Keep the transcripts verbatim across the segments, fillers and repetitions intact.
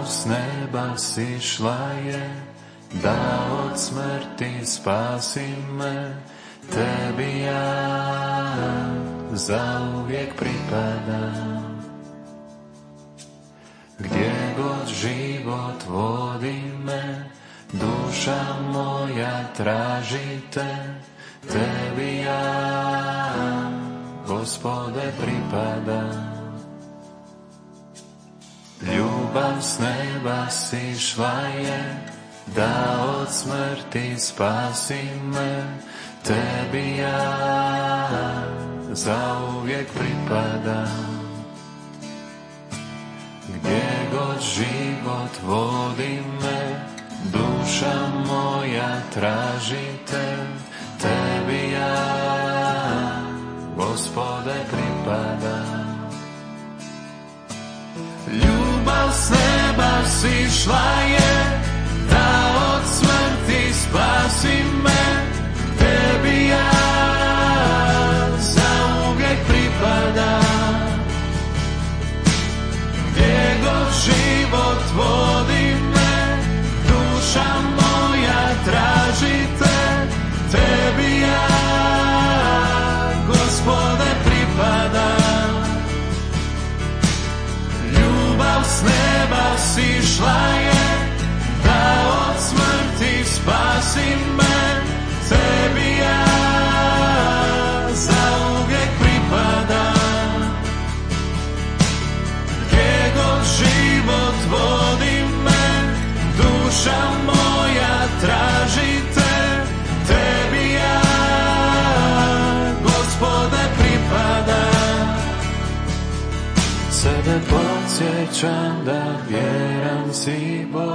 s neba sišla je, da od smrti spasi me. Tebi ja zauvijek pripadam. Gdje god život vodi me, duša moja traži te. Tebi ja, Gospode, pripadam. Ljubav s neba sišla je, da od smrti spasi me. Tebi ja zauvijek pripadam. Gdje god život vodi me, duša moja traži te. Tebi ja, Gospode, pripadam. Ljubav s neba sišla je, da od smrti spasi me. Tebi ja zauvijek pripadam. Gdje god život vodi me, duša moja traži te. Tebi ja, Gospode, pripadam. Ljubav s neba sišla je, da od smrti spasi me. Tebi ja zauvijek pripadam. Gdje god život vodi me, duša moja traži te. Tebi ja, Gospode, pripadam. Sebe podsjećam da vjeran si Bog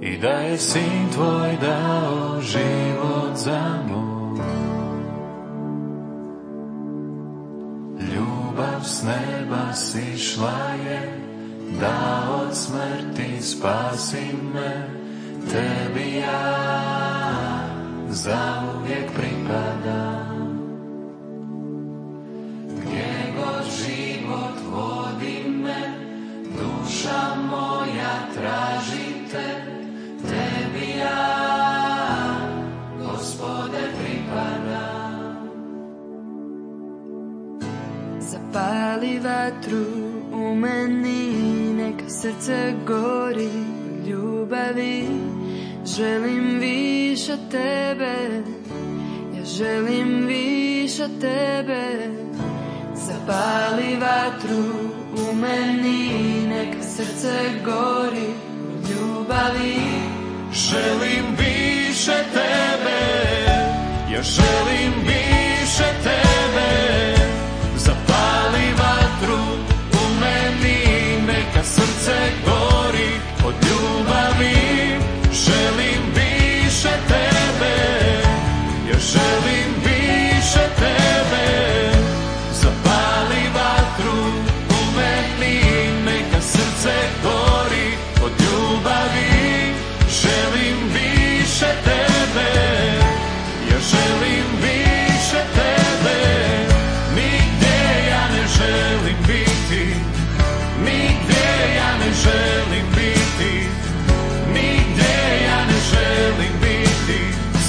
i da je Sin tvoj dao život za moj. Ljubav s neba sišla je, da od smrti spasi me. Tebi ja zauvijek pripadam. Gdje god život vodi me, duša moja traži te. Tebi ja, Gospode, pripadam. Zapali vatru u meni, neka srce gori u ljubavi. Želim više tebe, ja želim više tebe. Zapali vatru u meni, neka srce gori u ljubavi. Želim više tebe, ja želim više tebe. Zapali vatru u meni, neka srce gori od ljubavi. Želim više tebe, ja želim više tebe. Zapali vatru u meni, neka srce gori od ljubavi. Želim više tebe, ja želim više tebe. Nigdje ja ne želim biti, nigdje ja ne želim biti, nigdje ja ne želim biti.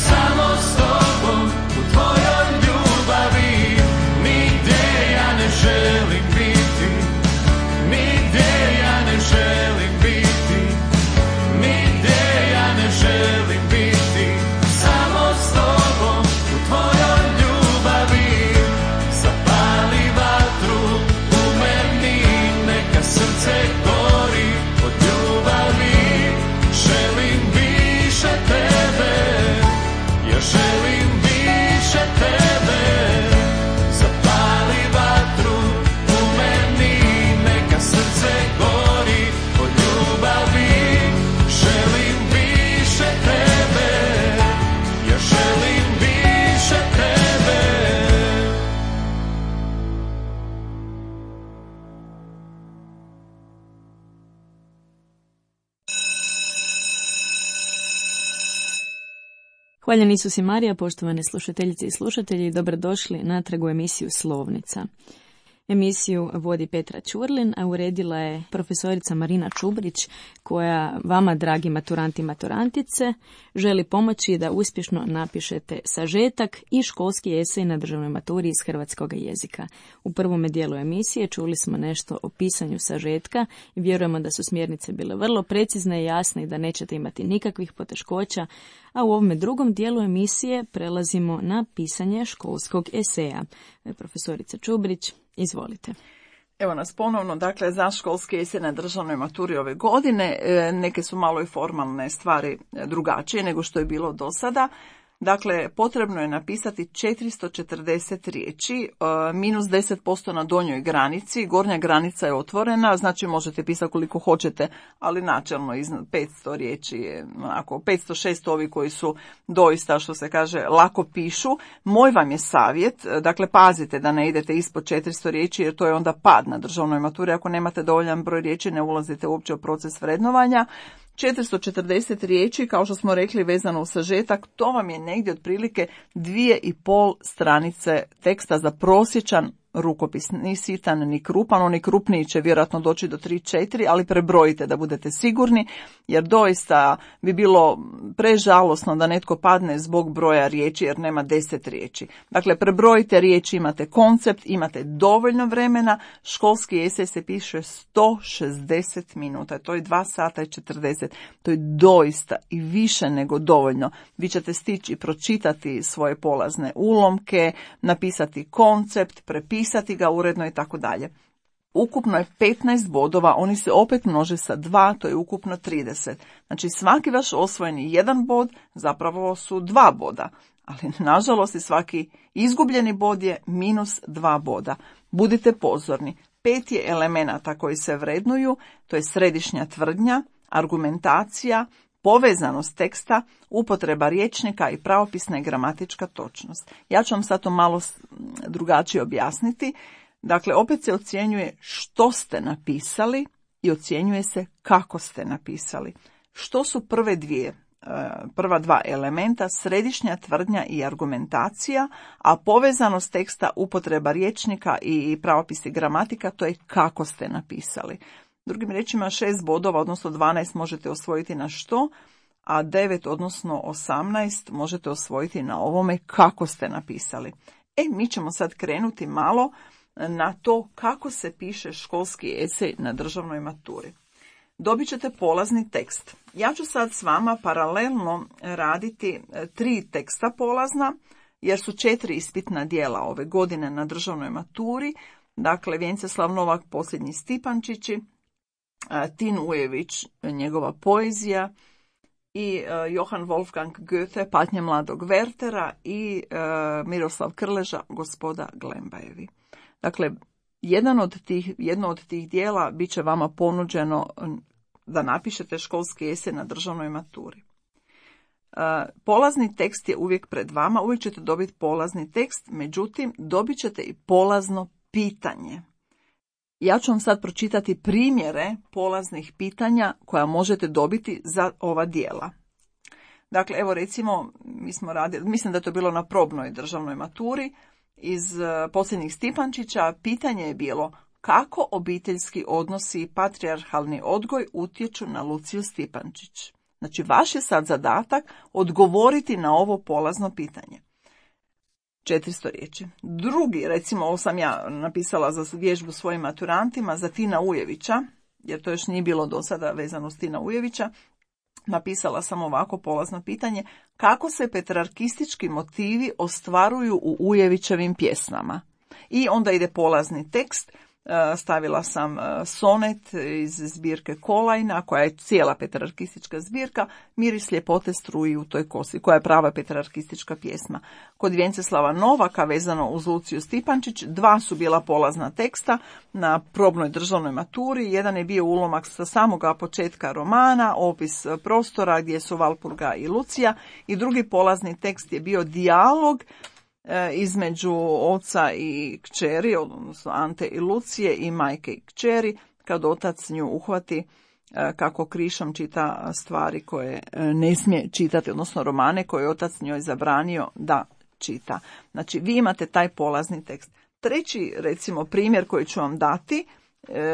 Samo s tobom u tvojoj ljubavi. Nigdje ja ne želim biti, nigdje ja ne želim biti, nigdje ja ne želim biti. Samo s tobom u tvojoj ljubavi. Zapali vatru u meni, neka srce gori od ljubavi. Želim više tebe, ja želim više tebe. Zapali vatru u meni, neka srce gori od ljubavi. Želim više tebe, ja želim više tebe. Hvaljen Isus i Marija, poštovane slušateljice i slušatelji, dobrodošli natrag u emisiju Slovnica. Emisiju vodi Petra Ćurlin, a uredila je profesorica Marina Čubrić, koja vama, dragi maturanti i maturantice, želi pomoći da uspješno napišete sažetak i školski esej na državnoj maturi iz hrvatskog jezika. U prvome dijelu emisije čuli smo nešto o pisanju sažetka i vjerujemo da su smjernice bile vrlo precizne i jasne i da nećete imati nikakvih poteškoća, a u ovome drugom dijelu emisije prelazimo na pisanje školskog eseja. Profesorica Čubrić, izvolite. Evo nas ponovno, dakle, za školski esej na državnoj maturi ove godine. Neke su malo i formalne stvari drugačije nego što je bilo do sada. Dakle, potrebno je napisati četiristo četrdeset riječi, minus deset posto na donjoj granici, gornja granica je otvorena, znači možete pisati koliko hoćete, ali načelno iznad petsto riječi je, onako, petsto šesto ovi koji su doista, što se kaže, lako pišu. Moj vam je savjet, dakle, pazite da ne idete ispod četiristo riječi, jer to je onda pad na državnoj maturi. Ako nemate dovoljan broj riječi, ne ulazite uopće u proces vrednovanja. četiristo četrdeset riječi, kao što smo rekli, vezano u sažetak, to vam je negdje otprilike dvije i pol stranice teksta za prosječan rukopis. Ni sitan, ni krupan, oni krupniji će vjerojatno doći do tri četiri, ali prebrojite da budete sigurni, jer doista bi bilo prežalosno da netko padne zbog broja riječi, jer nema deset riječi. Dakle, prebrojite riječi, imate koncept, imate dovoljno vremena. Školski esej se piše sto šezdeset minuta, to je dva sata i četrdeset. To je doista i više nego dovoljno. Vi ćete stići pročitati svoje polazne ulomke, napisati koncept, prepisati pisati ga uredno i tako dalje. Ukupno je petnaest bodova, oni se opet množe sa dva, to je ukupno trideset. Znači svaki vaš osvojeni jedan bod zapravo su dva boda, ali nažalost i svaki izgubljeni bod je minus dva boda. Budite pozorni, pet je elemenata koji se vrednuju, to je središnja tvrdnja, argumentacija, povezanost teksta, upotreba rječnika i pravopisna i gramatička točnost. Ja ću vam sad to malo drugačije objasniti. Dakle, opet se ocjenjuje što ste napisali i ocjenjuje se kako ste napisali. Što su prve dvije, prva dva elementa, središnja tvrdnja i argumentacija, a povezanost teksta, upotreba rječnika i pravopis i gramatika, to je kako ste napisali. Drugim riječima, šest bodova, odnosno dvanaest možete osvojiti na što, a devet, odnosno osamnaest možete osvojiti na ovome kako ste napisali. E, mi ćemo sad krenuti malo na to kako se piše školski esej na državnoj maturi. Dobit ćete polazni tekst. Ja ću sad s vama paralelno raditi tri teksta polazna, jer su četiri ispitna dijela ove godine na državnoj maturi. Dakle, Vjenceslav Novak, Posljednji Stipančići, Tin Ujević, njegova poezija, i Johann Wolfgang Goethe, Patnje mladog Wertera, i Miroslav Krleža, Gospoda Glembajevi. Dakle, jedan od tih, jedno od tih dijela bit će vama ponuđeno da napišete školski esej na državnoj maturi. Polazni tekst je uvijek pred vama, uvijek ćete dobiti polazni tekst, međutim, dobit ćete i polazno pitanje. Ja ću vam sad pročitati primjere polaznih pitanja koja možete dobiti za ova dijela. Dakle, evo recimo, mi smo radili, mislim da je to bilo na probnoj državnoj maturi, iz Posljednjih Stipančića, pitanje je bilo kako obiteljski odnosi i patrijarhalni odgoj utječu na Luciju Stipančić. Znači, vaš je sad zadatak odgovoriti na ovo polazno pitanje. četiristo riječi. Drugi, recimo, ovo sam ja napisala za vježbu svojim maturantima, za Tina Ujevića, jer to još nije bilo do sada vezano s Tina Ujevića, napisala sam ovako polazno pitanje: kako se petrarkistički motivi ostvaruju u Ujevićevim pjesmama? I onda ide polazni tekst. Stavila sam sonet iz zbirke Kolajna, koja je cijela petrarkistička zbirka, Miris ljepote struji u toj kosi, koja je prava petrarkistička pjesma. Kod Vjenceslava Novaka, vezano uz Luciju Stipančić, dva su bila polazna teksta na probnoj državnoj maturi. Jedan je bio ulomak sa samoga početka romana, opis prostora gdje su Valpurga i Lucija, i drugi polazni tekst je bio dijalog između oca i kćeri, odnosno Ante i Lucije, i majke i kćeri, kad otac nju uhvati kako krišom čita stvari koje ne smije čitati, odnosno romane koje je otac njoj zabranio da čita. Znači, vi imate taj polazni tekst. Treći, recimo, primjer koji ću vam dati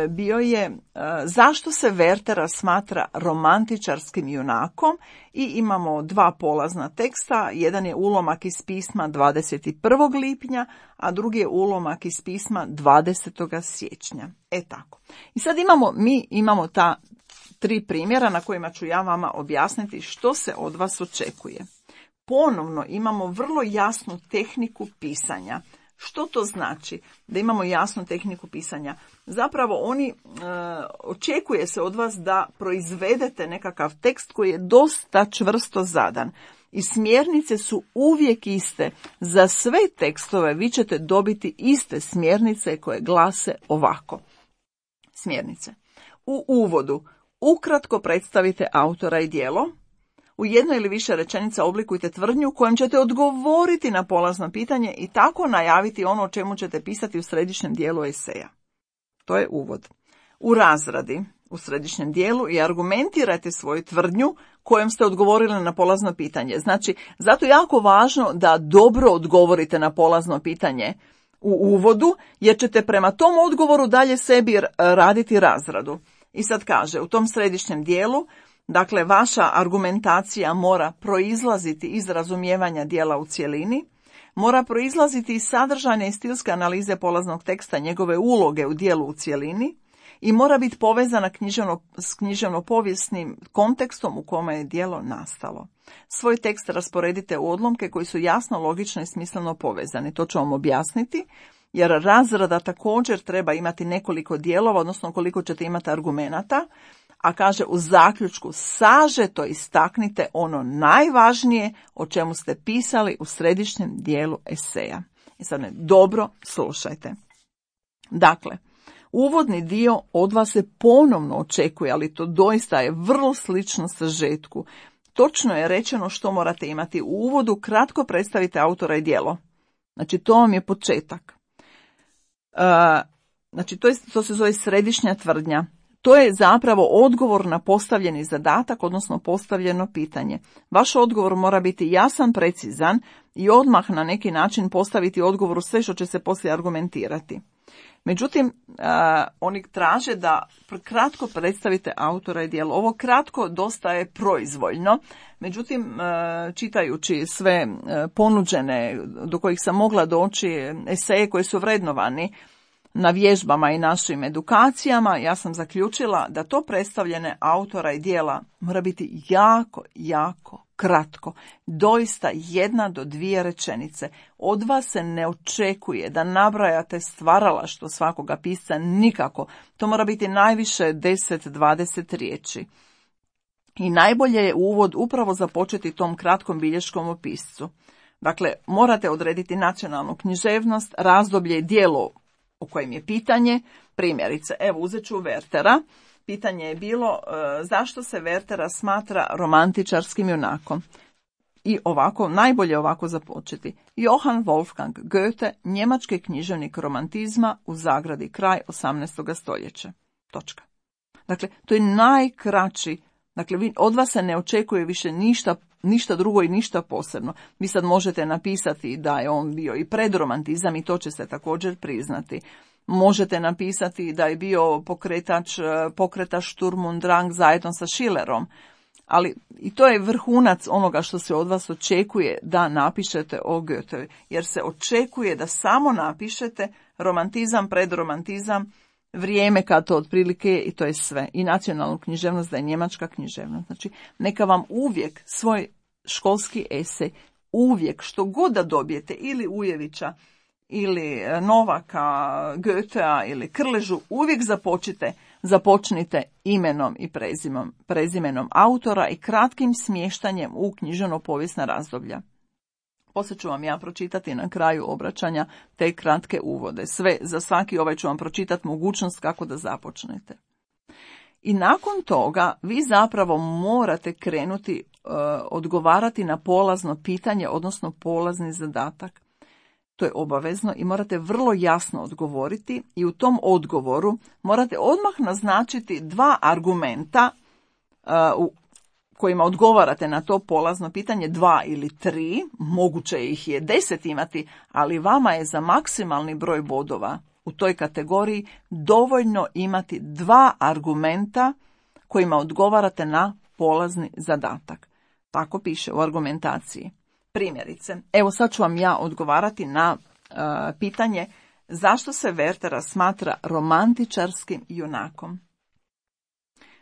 bio je zašto se Wertera smatra romantičarskim junakom i imamo dva polazna teksta. Jedan je ulomak iz pisma dvadeset prvog lipnja, a drugi je ulomak iz pisma dvadesetog siječnja. E tako. I sad imamo, mi imamo ta tri primjera na kojima ću ja vama objasniti što se od vas očekuje. Ponovno imamo vrlo jasnu tehniku pisanja. Što to znači da imamo jasnu tehniku pisanja? Zapravo oni e, očekuje se od vas da proizvedete nekakav tekst koji je dosta čvrsto zadan. I smjernice su uvijek iste. Za sve tekstove vi ćete dobiti iste smjernice koje glase ovako. Smjernice. U uvodu ukratko predstavite autora i djelo. U jednoj ili više rečenica oblikujte tvrdnju kojom ćete odgovoriti na polazno pitanje i tako najaviti ono o čemu ćete pisati u središnjem dijelu eseja. To je uvod. U razradi, u središnjem dijelu, i argumentirajte svoju tvrdnju kojom ste odgovorili na polazno pitanje. Znači, zato je jako važno da dobro odgovorite na polazno pitanje u uvodu, jer ćete prema tom odgovoru dalje sebi raditi razradu. I sad kaže, u tom središnjem dijelu, dakle, vaša argumentacija mora proizlaziti iz razumijevanja dijela u cjelini, mora proizlaziti iz sadržajne i stilske analize polaznog teksta, njegove uloge u dijelu u cjelini i mora biti povezana književno, s književno-povijesnim kontekstom u kome je dijelo nastalo. Svoj tekst rasporedite u odlomke koji su jasno, logično i smisleno povezani. To ću vam objasniti, jer razrada također treba imati nekoliko dijelova, odnosno koliko ćete imati argumenata, a kaže u zaključku sažeto istaknite ono najvažnije o čemu ste pisali u središnjem dijelu eseja. I sad me dobro slušajte. Dakle, uvodni dio od vas se ponovno očekuje, ali to doista je vrlo slično sažetku. Točno je rečeno što morate imati u uvodu, kratko predstavite autora i djelo. Znači, to vam je početak. Uh, znači, to, je, to se zove središnja tvrdnja. To je zapravo odgovor na postavljeni zadatak, odnosno postavljeno pitanje. Vaš odgovor mora biti jasan, precizan i odmah na neki način postaviti odgovoru sve što će se poslije argumentirati. Međutim, uh, oni traže da kratko predstavite autora i djelo. Ovo kratko dosta je proizvoljno, međutim, uh, čitajući sve uh, ponuđene do kojih sam mogla doći eseje koji su vrednovani na vježbama i našim edukacijama, ja sam zaključila da to predstavljene autora i djela mora biti jako, jako kratko. Doista jedna do dvije rečenice. Od vas se ne očekuje da nabrajate stvaralaštvo svakoga pisca, nikako. To mora biti najviše deset do dvadeset riječi. I najbolje je uvod upravo započeti tom kratkom bilješkom o piscu. Dakle, morate odrediti nacionalnu književnost, razdoblje i djelo o kojem je pitanje. Primjerice, evo uzet ću Wertera. Pitanje je bilo e, zašto se Wertera smatra romantičarskim junakom. I ovako, najbolje ovako započeti. Johann Wolfgang Goethe, njemački književnik romantizma, u zagradi kraj osamnaestog stoljeća. Točka. Dakle, to je najkraći. Dakle, vi, od vas se ne očekuje više ništa, ništa drugo i ništa posebno. Vi sad možete napisati da je on bio i predromantizam i to će se također priznati. Možete napisati da je bio pokretač, pokretač Sturm und Drang zajedno sa Schillerom. Ali i to je vrhunac onoga što se od vas očekuje da napišete o Goethe. Jer se očekuje da samo napišete romantizam, predromantizam, vrijeme kad to otprilike i to je sve. I nacionalnu književnost da je njemačka književnost. Znači, neka vam uvijek svoj školski esej, uvijek što god da dobijete, ili Ujevića, ili Novaka, Goethea ili Krležu, uvijek započite, započnite imenom i prezimom, prezimenom autora i kratkim smještanjem u književno-povijesna razdoblja. Poslije ću vam ja pročitati na kraju obraćanja te kratke uvode. Sve, za svaki ovaj ću vam pročitati mogućnost kako da započnete. I nakon toga vi zapravo morate krenuti uh, odgovarati na polazno pitanje, odnosno polazni zadatak. To je obavezno i morate vrlo jasno odgovoriti i u tom odgovoru morate odmah naznačiti dva argumenta uh, kojima odgovarate na to polazno pitanje, dva ili tri, moguće ih je deset imati, ali vama je za maksimalni broj bodova u toj kategoriji dovoljno imati dva argumenta kojima odgovarate na polazni zadatak. Tako piše u argumentaciji. Primjerice, evo sad ću vam ja odgovarati na uh, pitanje zašto se Wertera smatra romantičarskim junakom.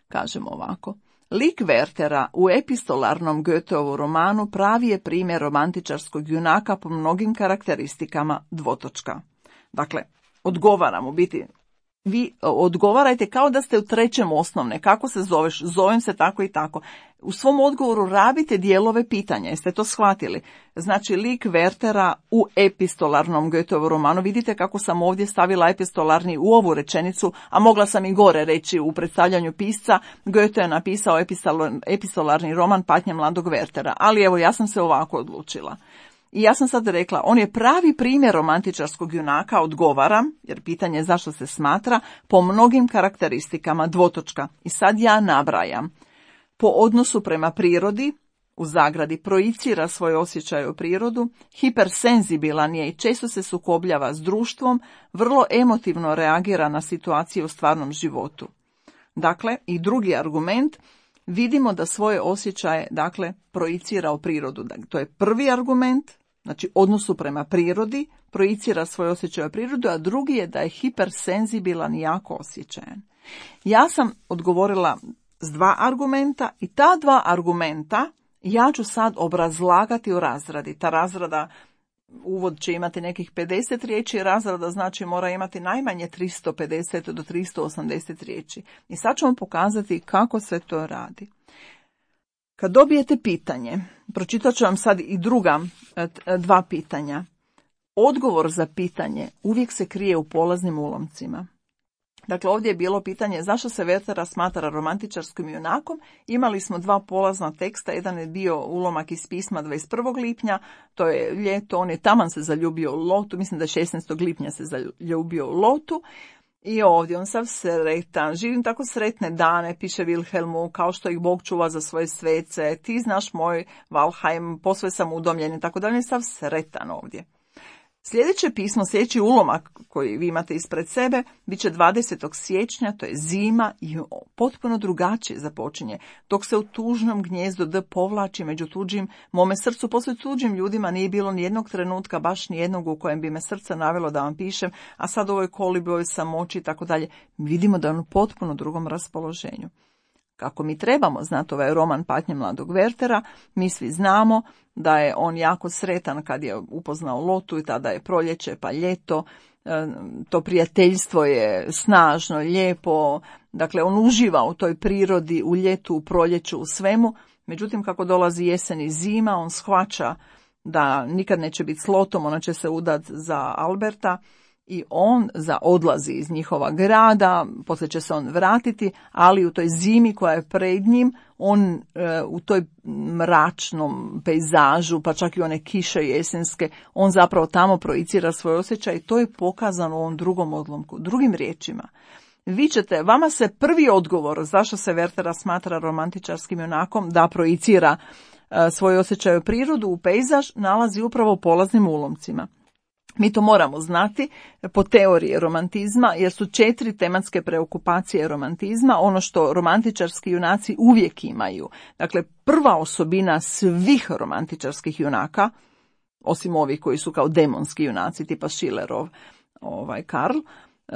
Kažemo ovako. Lik Wertera u epistolarnom Goetheovu romanu pravi je primjer romantičarskog junaka po mnogim karakteristikama dvotočka. Dakle, odgovaram u biti. Vi odgovarajte kao da ste u trećem osnovne. Kako se zoveš? Zovem se tako i tako. U svom odgovoru rabite dijelove pitanja. Jeste to shvatili? Znači, lik Wertera u epistolarnom Goetheovu romanu. Vidite kako sam ovdje stavila epistolarni u ovu rečenicu, a mogla sam i gore reći u predstavljanju pisca. Goethe je napisao epistolarni roman Patnje mladog Wertera. Ali evo, ja sam se ovako odlučila. I ja sam sad rekla, on je pravi primjer romantičarskog junaka, odgovaram, jer pitanje je zašto se smatra, po mnogim karakteristikama dvotočka. I sad ja nabrajam. Po odnosu prema prirodi, u zagradi projicira svoje osjećaje u prirodu, hipersenzibilan je i često se sukobljava s društvom, vrlo emotivno reagira na situacije u stvarnom životu. Dakle, i drugi argument, vidimo da svoje osjećaje, dakle, projicira u prirodu. To je prvi argument, znači odnosu prema prirodi, projicira svoje osjećaje u prirodu, a drugi je da je hipersenzibilan i jako osjećajan. Ja sam odgovorila s dva argumenta i ta dva argumenta ja ću sad obrazlagati u razradi. Ta razrada, uvod će imati nekih pedeset riječi, razrada znači mora imati najmanje tristo pedeset do tristo osamdeset riječi. I sad ću vam pokazati kako se to radi. Kad dobijete pitanje, pročitat ću vam sad i druga dva pitanja. Odgovor za pitanje uvijek se krije u polaznim ulomcima. Dakle, ovdje je bilo pitanje zašto se Wertera smatra romantičarskim junakom. Imali smo dva polazna teksta, jedan je bio ulomak iz pisma dvadeset prvog lipnja, to je ljeto, on je taman se zaljubio u Lotu, mislim da je šesnaestog lipnja se zaljubio u Lotu. I ovdje on sav sretan, živim tako sretne dane, piše Wilhelmu, kao što ih Bog čuva za svoje svece, ti znaš moj Valheim, posve sam udomljen i tako dalje, sav sretan ovdje. Sljedeće pismo, sljedeći ulomak koji vi imate ispred sebe, bit će dvadesetog siječnja, to je zima i potpuno drugačije započinje. Dok se u tužnom gnjezdu D povlači među tuđim, mome srcu poslije tuđim ljudima nije bilo ni jednog trenutka, baš ni jednog u kojem bi me srce navelo da vam pišem, a sad u ovoj kolibi, ovoj samoći i tako dalje. Vidimo da je on u potpuno drugom raspoloženju. Kako mi trebamo znati ovaj roman Patnje mladog Wertera, mi svi znamo da je on jako sretan kad je upoznao Lotu i tada je proljeće pa ljeto, to prijateljstvo je snažno, lijepo, dakle on uživa u toj prirodi, u ljetu, u proljeću, u svemu, međutim kako dolazi jesen i zima, on shvaća da nikad neće biti s Lotom, ona će se udati za Alberta, i on za odlazi iz njihova grada, poslije će se on vratiti, ali u toj zimi koja je pred njim, on e, u toj mračnom pejzažu, pa čak i one kiše jesenske, on zapravo tamo projicira svoj osjećaj i to je pokazano u ovom drugom odlomku. Drugim riječima, vi ćete, vama se prvi odgovor zašto se Wertera smatra romantičarskim junakom, da projicira e, svoj osjećaj u prirodu, u pejzaž, nalazi upravo u polaznim ulomcima. Mi to moramo znati po teoriji romantizma, jer su četiri tematske preokupacije romantizma, ono što romantičarski junaci uvijek imaju. Dakle, prva osobina svih romantičarskih junaka, osim ovih koji su kao demonski junaci, tipa Schillerov, ovaj Karl,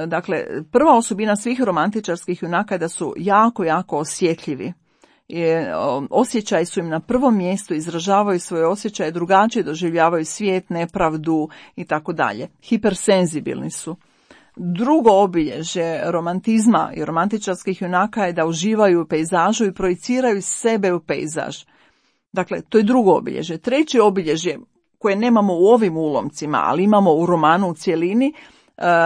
dakle, prva osobina svih romantičarskih junaka je da su jako, jako osjetljivi. Je, osjećaji su im na prvom mjestu, izražavaju svoje osjećaje, drugačije doživljavaju svijet, nepravdu i tako dalje. Hipersenzibilni su. Drugo obilježje romantizma i romantičarskih junaka je da uživaju u pejzažu i projiciraju sebe u pejzaž. Dakle, to je drugo obilježje. Treće obilježje koje nemamo u ovim ulomcima, ali imamo u romanu u cjelini,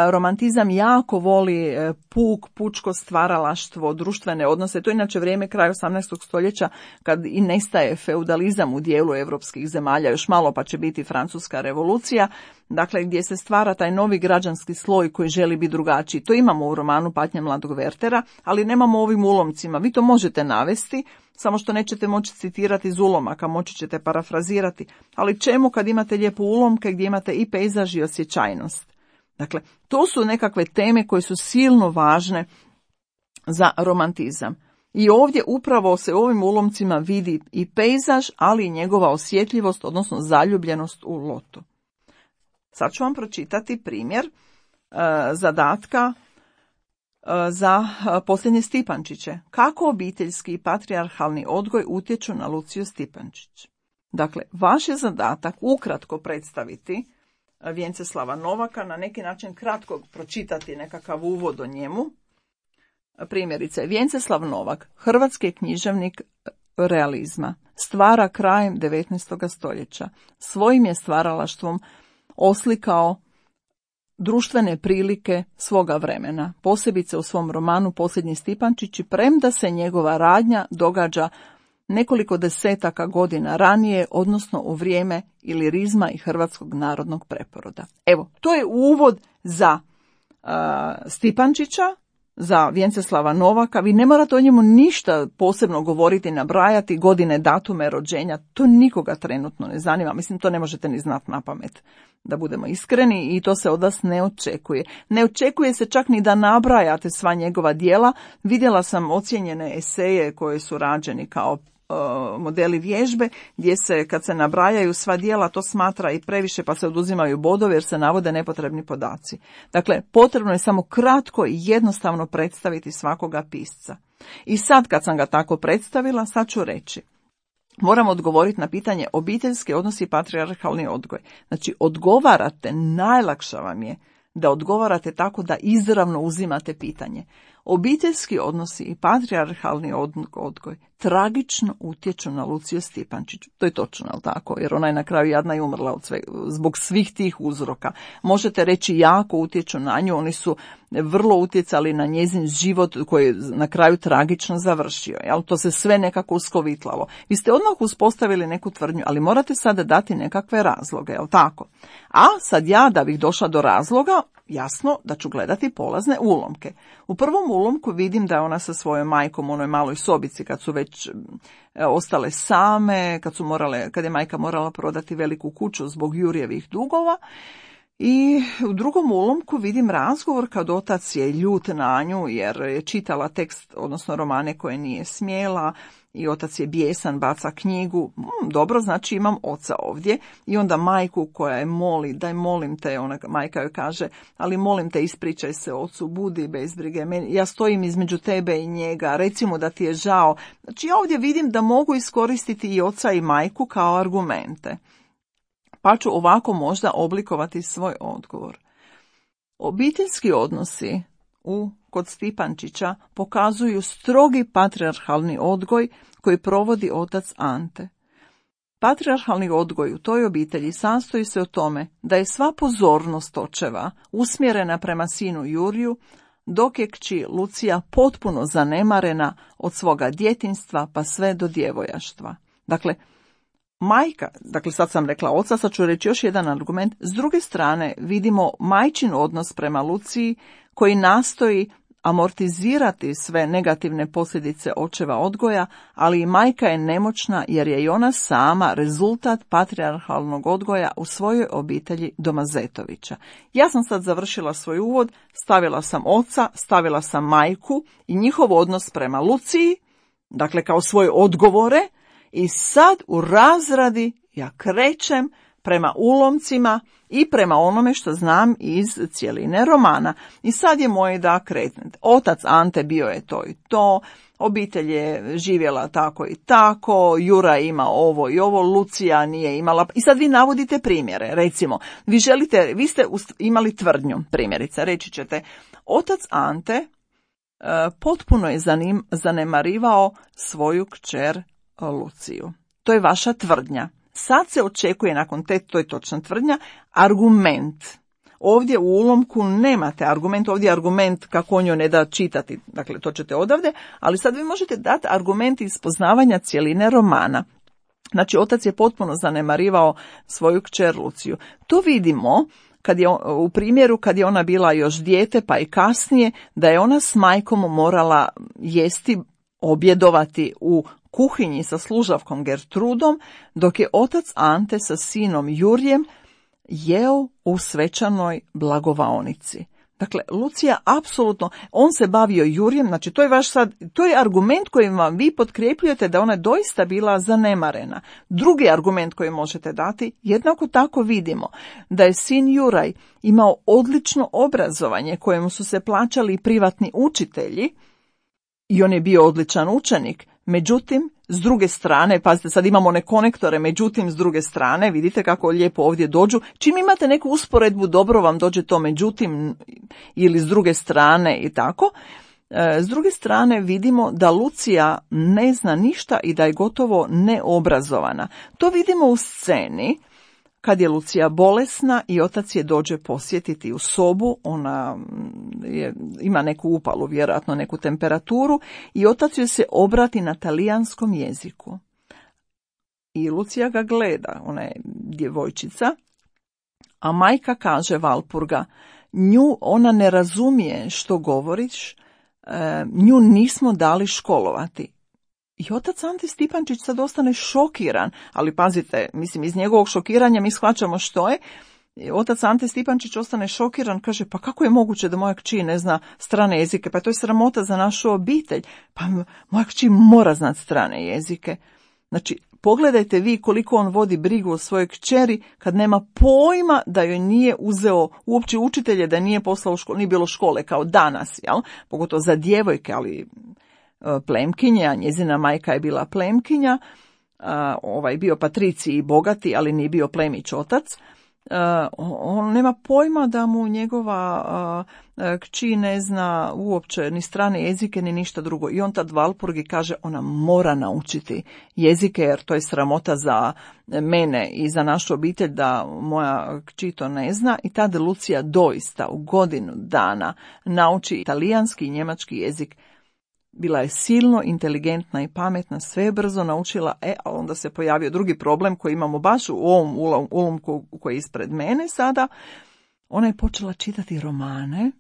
Romantizam jako voli puk, pučko stvaralaštvo, društvene odnose. To je inače vrijeme kraja osamnaestog stoljeća kad i nestaje feudalizam u dijelu europskih zemalja, još malo pa će biti Francuska revolucija, dakle gdje se stvara taj novi građanski sloj koji želi biti drugačiji. To imamo u romanu Patnja mladog Wertera, ali nemamo ovim ulomcima. Vi to možete navesti, samo što nećete moći citirati iz ulomaka, moći ćete parafrazirati. Ali čemu kad imate lijepo ulomke gdje imate i pejzaž i osjećajnost? Dakle, to su nekakve teme koje su silno važne za romantizam. I ovdje upravo se u ovim ulomcima vidi i pejzaž, ali i njegova osjetljivost, odnosno zaljubljenost u lotu. Sad ću vam pročitati primjer uh, zadatka uh, za uh, posljednje Stipančiće. Kako obiteljski i patrijarhalni odgoj utječu na Luciju Stipančić? Dakle, vaš je zadatak ukratko predstaviti Vjenceslava Novaka, na neki način kratko pročitati nekakav uvod o njemu. Primjerice, Vjenceslav Novak, hrvatski književnik realizma, stvara krajem devetnaestog stoljeća. Svojim je stvaralaštvom oslikao društvene prilike svoga vremena, posebice u svom romanu Posljednji Stipančići, premda se njegova radnja događa nekoliko desetaka godina ranije, odnosno u vrijeme ilirizma i hrvatskog narodnog preporoda. Evo, to je uvod za uh, Stipančića, za Vjenceslava Novaka. Vi ne morate o njemu ništa posebno govoriti, nabrajati godine, datume rođenja, to nikoga trenutno ne zanima. Mislim, to ne možete ni znati na pamet, da budemo iskreni, i to se od vas ne očekuje. Ne očekuje se čak ni da nabrajate sva njegova djela. Vidjela sam ocijenjene eseje koje su rađeni kao modeli vježbe, gdje se kad se nabrajaju sva djela to smatra i previše, pa se oduzimaju bodovi jer se navode nepotrebni podaci. Dakle, potrebno je samo kratko i jednostavno predstaviti svakoga pisca. I sad kad sam ga tako predstavila, sad ću reći. Moram odgovoriti na pitanje obiteljski odnosi i patrijarhalni odgoj. Znači, odgovarate, najlakše vam je da odgovarate tako da izravno uzimate pitanje. Obiteljski odnosi i patrijarhalni odgoj tragično utječu na Luciju Stipančić. To je točno, ali tako, jer ona je na kraju jadna i umrla od sve, zbog svih tih uzroka. Možete reći jako utječu na nju, oni su vrlo utjecali na njezin život koji je na kraju tragično završio. Jel? To se sve nekako uskovitlalo. Vi ste odmah uspostavili neku tvrdnju, ali morate sada dati nekakve razloge, jel tako? A sad ja, da bih došla do razloga, jasno da ću gledati polazne ulomke. U prvom ulomku vidim da je ona sa svojom majkom u onoj maloj sobici kad su već e, ostale same, kad su morale, kad je majka morala prodati veliku kuću zbog Jurjevih dugova. I u drugom ulomku vidim razgovor kad otac je ljut na nju jer je čitala tekst, odnosno romane koje nije smjela, i otac je bijesan, baca knjigu. Hmm, dobro, znači imam oca ovdje. I onda majku koja je moli, daj molim te, ona majka joj kaže, ali molim te ispričaj se ocu, budi bez brige, ja stojim između tebe i njega, recimo da ti je žao. Znači ja ovdje vidim da mogu iskoristiti i oca i majku kao argumente. Pa ću ovako možda oblikovati svoj odgovor. Obiteljski odnosi u kod Stipančića pokazuju strogi patrijarhalni odgoj koji provodi otac Ante. Patrijarhalni odgoj u toj obitelji sastoji se o tome da je sva pozornost očeva usmjerena prema sinu Juriju, dok je kći Lucija potpuno zanemarena od svoga djetinjstva pa sve do djevojaštva. Dakle, majka, dakle sad sam rekla oca, sad ću reći još jedan argument. S druge strane vidimo majčin odnos prema Luciji koji nastoji amortizirati sve negativne posljedice očeva odgoja, ali i majka je nemoćna jer je i ona sama rezultat patrijarhalnog odgoja u svojoj obitelji Domazetovića. Ja sam sad završila svoj uvod, stavila sam oca, stavila sam majku i njihov odnos prema Luciji, dakle kao svoje odgovore, i sad u razradi ja krećem prema ulomcima i prema onome što znam iz cjeline romana. I sad je moje da krenem. Otac Ante bio je to i to, obitelj je živjela tako i tako, Jura ima ovo i ovo, Lucija nije imala. I sad vi navodite primjere. Recimo, vi želite, vi ste imali tvrdnju, primjerice, reći ćete, otac Ante e, potpuno je zanim, zanemarivao svoju kćer Luciju. To je vaša tvrdnja. Sad se očekuje nakon te, to je točna tvrdnja, argument. Ovdje u ulomku nemate argument, ovdje je argument kako on joj ne da čitati, dakle to ćete odavde, ali sad vi možete dati argument iz poznavanja cjeline romana. Znači, otac je potpuno zanemarivao svoju kćer Luciju. To vidimo kad je, u primjeru kad je ona bila još dijete, pa i kasnije, da je ona s majkom morala jesti, objedovati u kuhinji sa služavkom Gertrudom, dok je otac Ante sa sinom Jurjem jeo u svečanoj blagovaonici. Dakle, Lucija apsolutno, on se bavio Jurjem, znači to je vaš sad, to je argument kojim vam vi potkrepljujete da ona doista bila zanemarena. Drugi argument koji možete dati, jednako tako vidimo da je sin Juraj imao odlično obrazovanje kojemu su se plaćali privatni učitelji i on je bio odličan učenik. Međutim, s druge strane, pazite, sad imamo one konektore, međutim, s druge strane, vidite kako lijepo ovdje dođu. Čim imate neku usporedbu, dobro vam dođe to međutim ili s druge strane i tako. S druge strane vidimo da Lucija ne zna ništa i da je gotovo neobrazovana. To vidimo u sceni kad je Lucija bolesna i otac je dođe posjetiti u sobu, ona je, ima neku upalu, vjerojatno neku temperaturu, i otac joj se obrati na talijanskom jeziku. I Lucija ga gleda, ona je djevojčica, a majka kaže Valpurga, nju ona ne razumije što govoriš, nju nismo dali školovati. I otac Ante Stipančić sad ostane šokiran, ali pazite, mislim, iz njegovog šokiranja mi shvaćamo što je. Otac Ante Stipančić ostane šokiran, kaže, pa kako je moguće da moja kći ne zna strane jezike, pa to je sramota za našu obitelj, pa moja kći mora znati strane jezike. Znači, pogledajte vi koliko on vodi brigu o svojoj kćeri kad nema pojma da joj nije uzeo uopće učitelje, da nije poslao u školu, nije bilo škole kao danas, jel? Pogotovo za djevojke, ali plemkinje, a njezina majka je bila plemkinja, ovaj bio patriciji i bogati, ali nije bio plemić otac. On nema pojma da mu njegova kći ne zna uopće ni strane jezike ni ništa drugo. I on tad Valpurgi kaže, ona mora naučiti jezike jer to je sramota za mene i za našu obitelj da moja kći to ne zna. I tada Lucija doista u godinu dana nauči italijanski i njemački jezik. Bila je silno inteligentna i pametna, sve je brzo naučila, e, a onda se pojavio drugi problem koji imamo baš u ovom ulomku koji je ispred mene sada. Ona je počela čitati romane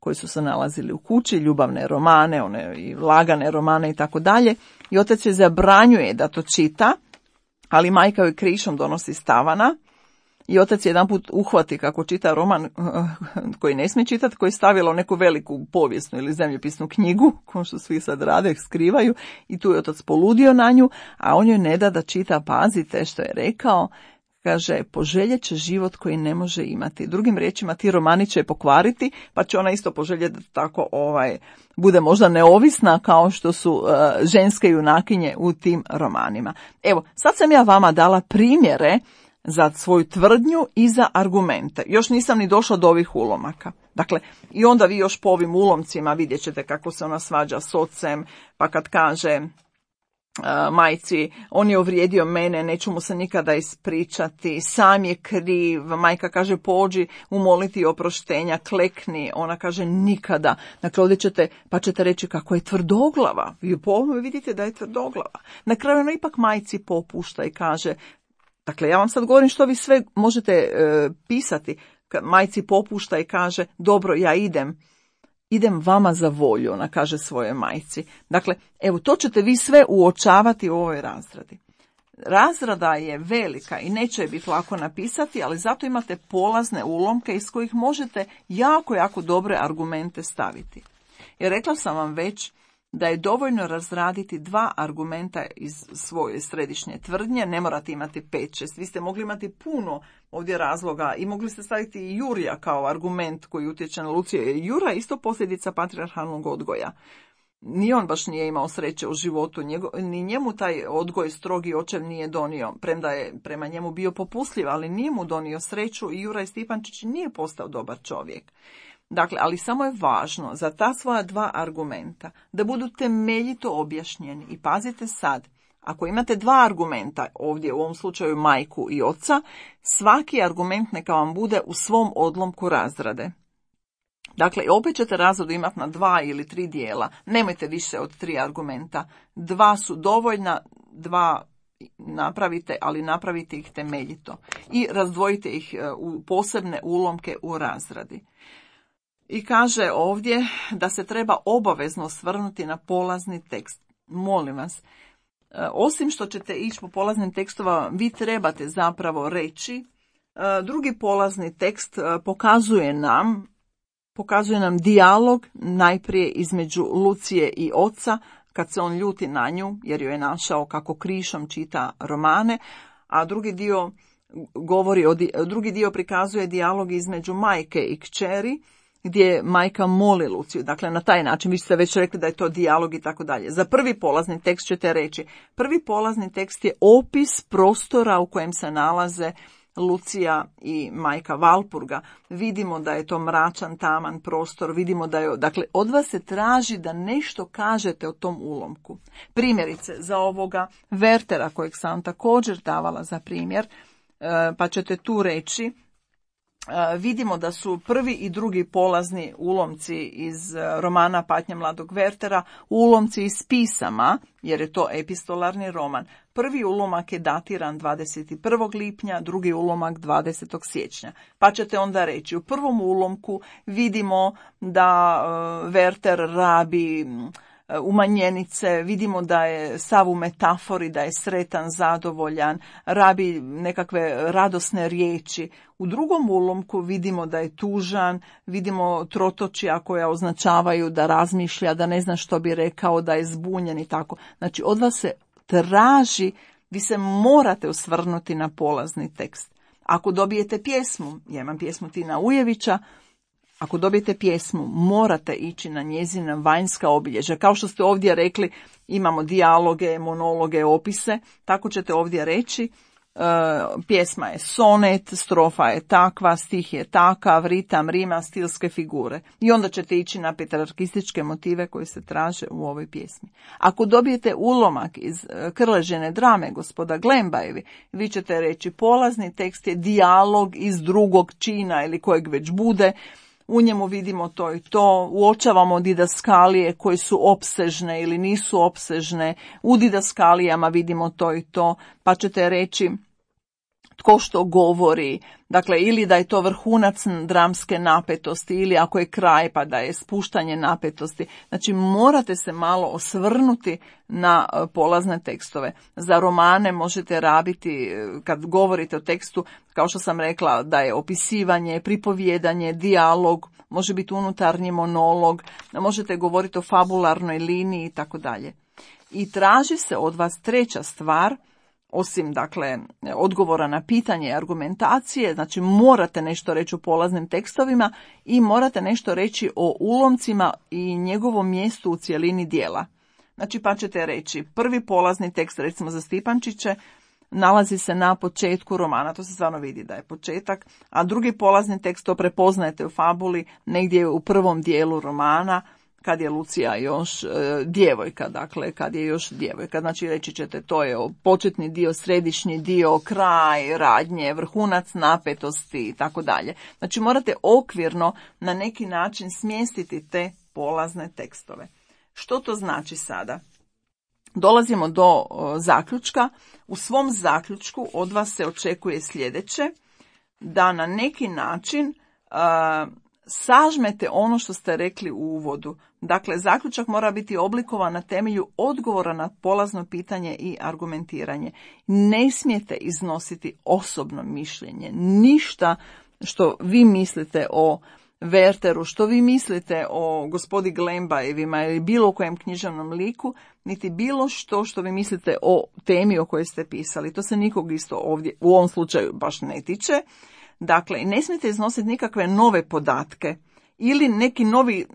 koji su se nalazili u kući, ljubavne romane, one i lagane romane i tako dalje. I otac joj zabranjuje da to čita, ali majka joj krišom donosi stavana. I otac jedanput uhvati kako čita roman koji ne smije čitati, koji je stavila u neku veliku povijesnu ili zemljopisnu knjigu, kao što svi sad rade, skrivaju, i tu je otac poludio na nju, a on joj ne da da čita, pazite što je rekao, kaže, poželjet će život koji ne može imati. Drugim riječima, ti romani će je pokvariti, pa će ona isto poželjeti da tako ovaj, bude možda neovisna kao što su uh, ženske junakinje u tim romanima. Evo, sad sam ja vama dala primjere za svoju tvrdnju i za argumente. Još nisam ni došla do ovih ulomaka. Dakle, i onda vi još po ovim ulomcima vidjet ćete kako se ona svađa s ocem, pa kad kaže uh, majci, on je uvrijedio mene, neću mu se nikada ispričati, sam je kriv, majka kaže pođi umoliti oproštenja, klekni, ona kaže nikada. Dakle, ovdje ćete, pa ćete reći kako je tvrdoglava, vi po ovome vidite da je tvrdoglava. Na kraju ona ipak majci popušta i kaže, dakle, ja vam sad govorim što vi sve možete e, pisati. Majci popušta i kaže, dobro, ja idem, idem vama za volju, ona kaže svoje majci. Dakle, evo, to ćete vi sve uočavati u ovoj razradi. Razrada je velika i neće je biti lako napisati, ali zato imate polazne ulomke iz kojih možete jako, jako dobre argumente staviti. Jer rekla sam vam već da je dovoljno razraditi dva argumenta iz svoje središnje tvrdnje, ne morate imati pet, šest, vi ste mogli imati puno ovdje razloga i mogli ste staviti i Jurija kao argument koji utječe na Luciju. Jura je isto posljedica patrijarhalnog odgoja. Ni on baš nije imao sreće u životu, njego, ni njemu taj odgoj strogi očev nije donio, premda je prema njemu bio popustljiv, ali nije mu donio sreću i Juraj Stipančić nije postao dobar čovjek. Dakle, ali samo je važno za ta svoja dva argumenta da budu temeljito objašnjeni. I pazite sad, Ako imate dva argumenta, ovdje u ovom slučaju majku i oca, svaki argument neka vam bude u svom odlomku razrade. Dakle, opet ćete razradu imati na dva ili tri dijela. Nemojte više od tri argumenta. Dva su dovoljna, dva napravite, ali napravite ih temeljito. I razdvojite ih u posebne ulomke u razradi. I kaže ovdje da se treba obavezno osvrnuti na polazni tekst. Molim vas, osim što ćete ići po polaznim tekstova, vi trebate zapravo reći. Drugi polazni tekst pokazuje nam, pokazuje nam dijalog najprije između Lucije i oca, kad se on ljuti na nju, jer joj je našao kako krišom čita romane, a drugi dio govori o, drugi dio prikazuje dijalog između majke i kćeri, gdje majka moli Luciju. Dakle, na taj način, vi ste već rekli da je to dijalog i tako dalje. Za prvi polazni tekst ćete reći, prvi polazni tekst je opis prostora u kojem se nalaze Lucija i majka Valpurga. Vidimo da je to mračan, taman prostor, vidimo da je, dakle, od vas se traži da nešto kažete o tom ulomku. Primjerice, za ovoga Wertera, kojeg sam također davala za primjer, pa ćete tu reći, vidimo da su prvi i drugi polazni ulomci iz romana Patnja mladog Wertera ulomci iz pisama, jer je to epistolarni roman. Prvi ulomak je datiran dvadeset prvog lipnja, drugi ulomak dvadesetog siječnja. Pa ćete onda reći, u prvom ulomku vidimo da Werter rabi umanjenice, vidimo da je sav u metafori, da je sretan, zadovoljan, rabi nekakve radosne riječi. U drugom ulomku vidimo da je tužan, vidimo trotočja koja označavaju da razmišlja, da ne zna što bi rekao, da je zbunjen i tako. Znači, od vas se traži, vi se morate osvrnuti na polazni tekst. Ako dobijete pjesmu, ja imam pjesmu Tina Ujevića, ako dobijete pjesmu, morate ići na njezina vanjska obilježja. Kao što ste ovdje rekli, imamo dijaloge, monologe, opise, tako ćete ovdje reći, e, pjesma je sonet, strofa je takva, stih je takav, ritam, rima, stilske figure. I onda ćete ići na petrarkističke motive koji se traže u ovoj pjesmi. Ako dobijete ulomak iz Krležine drame gospoda Glembajevi, vi ćete reći polazni tekst je dijalog iz drugog čina ili kojeg već bude. U njemu vidimo to i to, uočavamo didaskalije koje su opsežne ili nisu opsežne, u didaskalijama vidimo to i to, pa ćete reći tko što govori, dakle ili da je to vrhunac dramske napetosti ili ako je kraj pa da je spuštanje napetosti. Znači morate se malo osvrnuti na polazne tekstove. Za romane možete rabiti, kad govorite o tekstu, kao što sam rekla, da je opisivanje, pripovjedanje, dijalog, može biti unutarnji monolog, možete govoriti o fabularnoj liniji i tako dalje. I traži se od vas treća stvar, osim dakle odgovora na pitanje i argumentacije, znači morate nešto reći o polaznim tekstovima i morate nešto reći o ulomcima i njegovom mjestu u cjelini dijela. Znači pa ćete reći, prvi polazni tekst, recimo za Stipančiće, nalazi se na početku romana, to se stvarno vidi da je početak, a drugi polazni tekst to prepoznajete u fabuli, negdje u prvom dijelu romana, kad je Lucija još e, djevojka, dakle, kad je još djevojka. Znači, reći ćete, to je početni dio, središnji dio, kraj, radnje, vrhunac napetosti i tako dalje. Znači, morate okvirno na neki način smjestiti te polazne tekstove. Što to znači sada? Dolazimo do o, zaključka. U svom zaključku od vas se očekuje sljedeće, da na neki način a, sažmete ono što ste rekli u uvodu. Dakle, zaključak mora biti oblikovan na temelju odgovora na polazno pitanje i argumentiranje. Ne smijete iznositi osobno mišljenje. Ništa što vi mislite o Werteru, što vi mislite o gospodi Glembajevima ili bilo kojem književnom liku, niti bilo što što vi mislite o temi o kojoj ste pisali. To se nikog isto ovdje, u ovom slučaju, baš ne tiče. Dakle, ne smijete iznositi nikakve nove podatke ili neki novi e,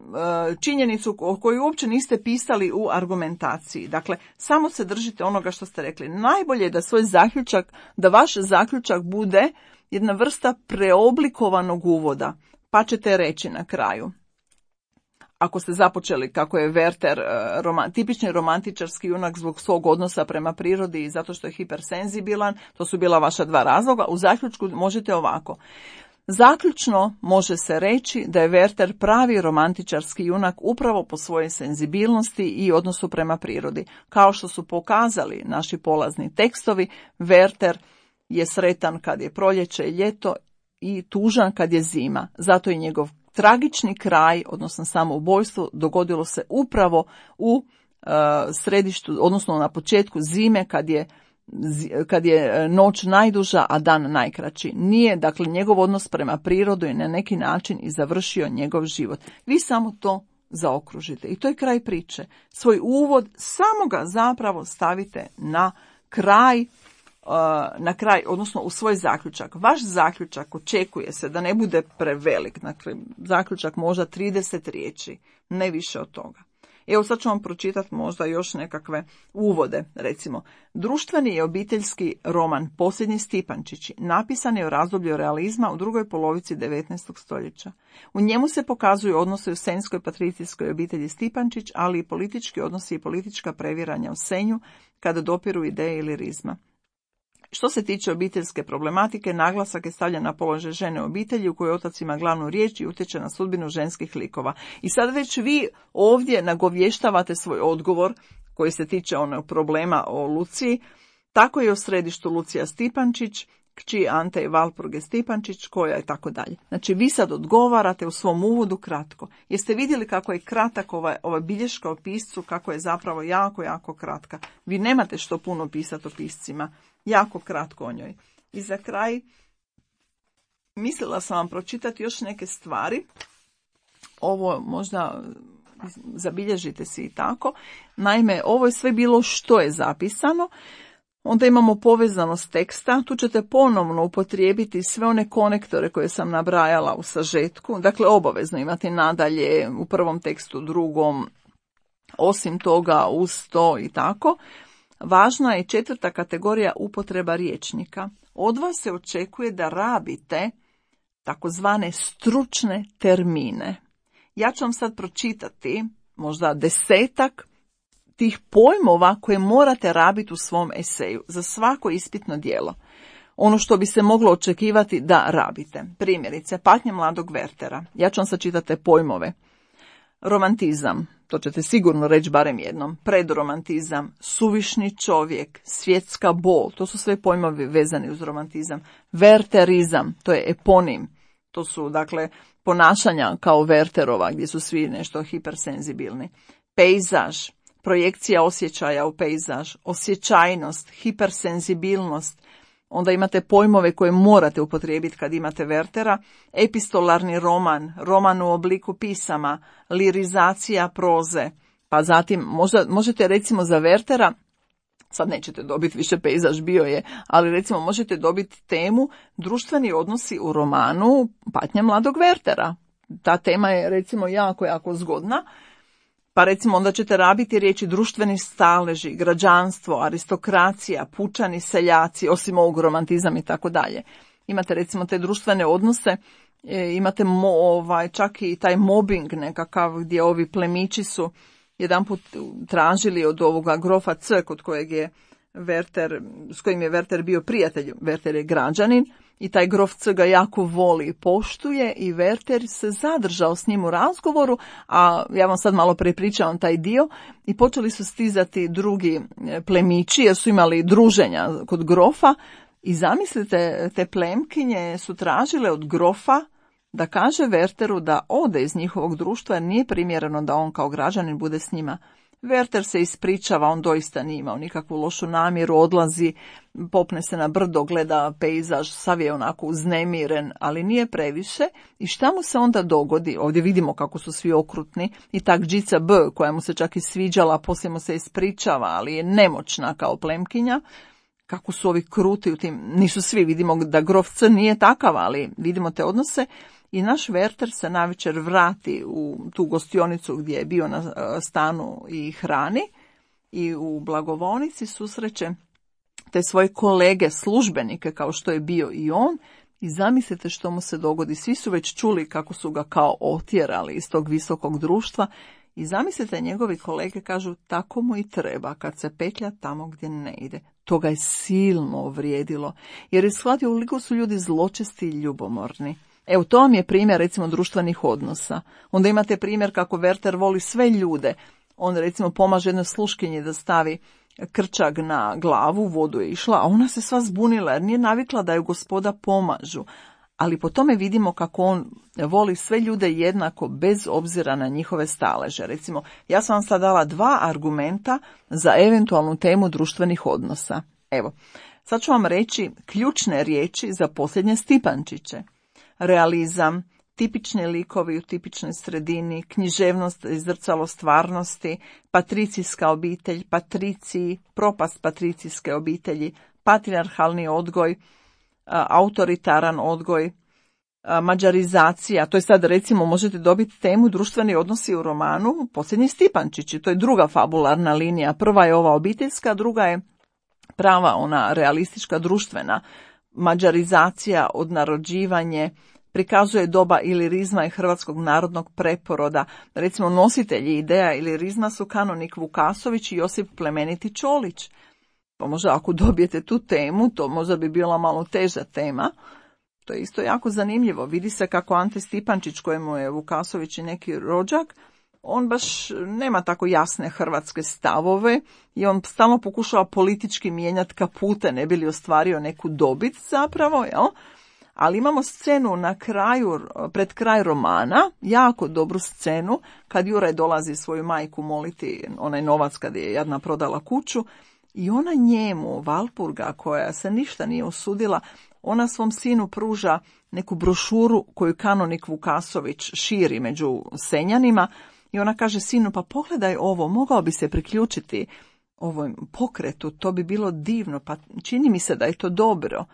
činjenicu o kojoj uopće niste pisali u argumentaciji. Dakle, samo se držite onoga što ste rekli. Najbolje je da svoj zaključak, da vaš zaključak bude jedna vrsta preoblikovanog uvoda, pa ćete reći na kraju. ako ste započeli kako je Werther uh, roman, tipični romantičarski junak zbog svog odnosa prema prirodi i zato što je hipersenzibilan, to su bila vaša dva razloga, u zaključku možete ovako. Zaključno može se reći da je Werther pravi romantičarski junak upravo po svojoj senzibilnosti i odnosu prema prirodi. Kao što su pokazali naši polazni tekstovi, Werther je sretan kad je proljeće i ljeto i tužan kad je zima. Zato je njegov tragični kraj, odnosno samoubojstvo, dogodilo se upravo u uh, središtu, odnosno na početku zime kad je kad je noć najduža, a dan najkraći. Nije, dakle, njegov odnos prema prirodu je na neki način i završio njegov život. Vi samo to zaokružite. I to je kraj priče. Svoj uvod samo ga zapravo stavite na kraj, na kraj, odnosno u svoj zaključak. Vaš zaključak očekuje se da ne bude prevelik. Dakle, zaključak možda trideset riječi, ne više od toga. Evo sad ću vam pročitati možda još nekakve uvode, recimo. Društveni i obiteljski roman Posljednji Stipančići napisan je u razdoblju realizma u drugoj polovici devetnaestog stoljeća. U njemu se pokazuju odnose u senjskoj patricijskoj obitelji Stipančić, ali i politički odnosi i politička previranja u Senju kada dopiru ideje ilirizma. Što se tiče obiteljske problematike, naglasak je stavljen na položaj žene u obitelji u kojoj otac ima glavnu riječ i utječe na sudbinu ženskih likova. I sad već vi ovdje nagovještavate svoj odgovor koji se tiče onog problema o Luciji. Tako je u središtu Lucija Stipančić, kći Ante i Valpurge Stipančić, koja je tako dalje. Znači vi sad odgovarate u svom uvodu kratko. Jeste vidjeli kako je kratak ova, ova bilješka o piscu, kako je zapravo jako, jako kratka. Vi nemate što puno pisati o piscima. Jako kratko o njoj. I za kraj, mislila sam vam pročitati još neke stvari. Ovo možda zabilježite si i tako. Naime, ovo je sve bilo što je zapisano. Onda imamo povezanost teksta. Tu ćete ponovno upotrijebiti sve one konektore koje sam nabrajala u sažetku. Dakle, obavezno imati nadalje u prvom tekstu, drugom, osim toga uz to i tako. Važna je četvrta kategorija upotreba rječnika. Od vas se očekuje da rabite takozvane stručne termine. Ja ću vam sad pročitati možda desetak tih pojmova koje morate rabiti u svom eseju za svako ispitno djelo. Ono što bi se moglo očekivati da rabite. Primjerice, Patnje mladog Werthera. Ja ću vam sad čitati te pojmove. Romantizam. To ćete sigurno reći barem jednom. Predromantizam, suvišni čovjek, svjetska bol, to su sve pojmovi vezani uz romantizam. Wertherizam, to je eponim. To su, dakle, ponašanja kao Wertherova, gdje su svi nešto hipersenzibilni. Pejzaž, projekcija osjećaja u pejzaž, osjećajnost, hipersenzibilnost. Onda imate pojmove koje morate upotrijebiti kad imate Werthera. Epistolarni roman, roman u obliku pisama, lirizacija proze. Pa zatim, možda, možete recimo za Werthera, sad nećete dobiti više pejzaž, bio je, ali recimo možete dobiti temu društveni odnosi u romanu Patnja mladog Werthera. Ta tema je recimo jako, jako zgodna. Pa recimo onda ćete rabiti riječi društveni staleži, građanstvo, aristokracija, pučani, seljaci, osim ovog romantizam i tako dalje. Imate recimo te društvene odnose, e, imate mo, ovaj, čak i taj mobbing nekakav gdje ovi plemići su jedanput tražili od ovoga grofa C kod kojeg je Werther, s kojim je Werther bio prijatelj. Werther je građanin i taj grof C ga jako voli i poštuje i Werther se zadržao s njim u razgovoru, a ja vam sad malo prepričavam taj dio, i počeli su stizati drugi plemići jer su imali druženja kod grofa i zamislite, te plemkinje su tražile od grofa da kaže Wertheru da ode iz njihovog društva jer nije primjereno da on kao građanin bude s njima. Werther se ispričava, on doista nije imao nikakvu lošu namjeru, odlazi, popne se na brdo, gleda pejzaž, sav je onako uznemiren, ali nije previše. I šta mu se onda dogodi? Ovdje vidimo kako su svi okrutni i tak Džica B, koja mu se čak i sviđala, poslije mu se ispričava, ali je nemoćna kao plemkinja. Kako su ovi kruti u tim, nisu svi, vidimo da grof C nije takav, ali vidimo te odnose. I naš Werther se navečer vrati u tu gostionicu gdje je bio na stanu i hrani i u blagovonici susreće te svoje kolege, službenike kao što je bio i on, I zamislite što mu se dogodi. Svi su već čuli kako su ga kao otjerali iz tog visokog društva. I zamislite, njegovi kolege kažu tako mu i treba kad se petlja tamo gdje ne ide. To ga je silno uvrijedilo, jer je shvatio koliko su ljudi zločesti i ljubomorni. Evo, to vam je primjer, recimo, društvenih odnosa. Onda imate primjer kako Werther voli sve ljude. On, recimo, pomaže jednoj sluškinji da stavi krčag na glavu, vodu je išla, a ona se sva zbunila jer nije navikla da ju gospoda pomažu. Ali po tome vidimo kako on voli sve ljude jednako, bez obzira na njihove staleže. Recimo, ja sam vam sad dala dva argumenta za eventualnu temu društvenih odnosa. Evo, sad ću vam reći ključne riječi za posljednje Stipančiće. Realizam, tipični likovi u tipičnoj sredini, književnost i zrcalo stvarnosti, patricijska obitelj, patriciji, propast patricijske obitelji, patrijarhalni odgoj, autoritaran odgoj, mađarizacija. To je sad, recimo, možete dobiti temu društveni odnosi u romanu Posljednji Stipančići. To je druga fabularna linija. Prva je ova obiteljska, druga je prava, ona realistička, društvena. Mađarizacija, odnarođivanje, prikazuje doba ilirizma i hrvatskog narodnog preporoda. Recimo, nositelji ideja ilirizma su kanonik Vukasović i Josip Plemeniti Čolić. Pa možda ako dobijete tu temu, to možda bi bila malo teža tema. To je isto jako zanimljivo. Vidi se kako Ante Stipančić, kojemu je Vukasović i neki rođak, on baš nema tako jasne hrvatske stavove i on stalno pokušava politički mijenjati kapute, ne bi li ostvario neku dobit zapravo, jel? Ali imamo scenu na kraju, pred kraj romana, jako dobru scenu, kad Juraj dolazi svoju majku moliti onaj novac kad je jadna prodala kuću, i ona njemu, Valpurga, koja se ništa nije usudila, ona svom sinu pruža neku brošuru koju kanonik Vukasović širi među Senjanima i ona kaže sinu, pa pogledaj ovo, mogao bi se priključiti ovom pokretu, to bi bilo divno, pa čini mi se da je to dobro.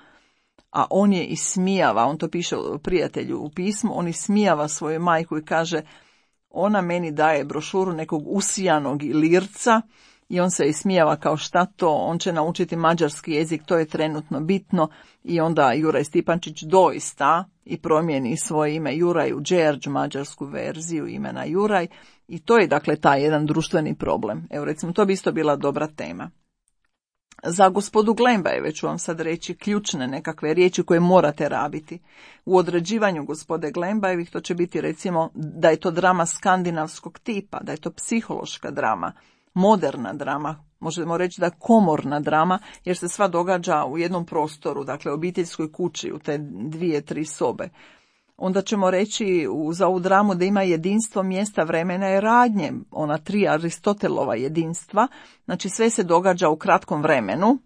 A on je ismijava, on to piše prijatelju u pismu, on ismijava svoju majku i kaže, ona meni daje brošuru nekog usijanog lirca i on se ismijava kao šta to, on će naučiti mađarski jezik, to je trenutno bitno, i onda Juraj Stipančić doista i promijeni svoje ime Juraj u Đerđ, mađarsku verziju imena Juraj, i to je dakle taj jedan društveni problem. Evo recimo, to bi isto bila dobra tema. Za gospodu Glembajeve ću vam sad reći ključne nekakve riječi koje morate rabiti. U određivanju gospode Glembajevih to će biti recimo da je to drama skandinavskog tipa, da je to psihološka drama, moderna drama, možemo reći da je komorna drama, jer se sva događa u jednom prostoru, dakle obiteljskoj kući, u te dvije, tri sobe. Onda ćemo reći za ovu dramu da ima jedinstvo mjesta, vremena i radnje, ona tri Aristotelova jedinstva, znači sve se događa u kratkom vremenu,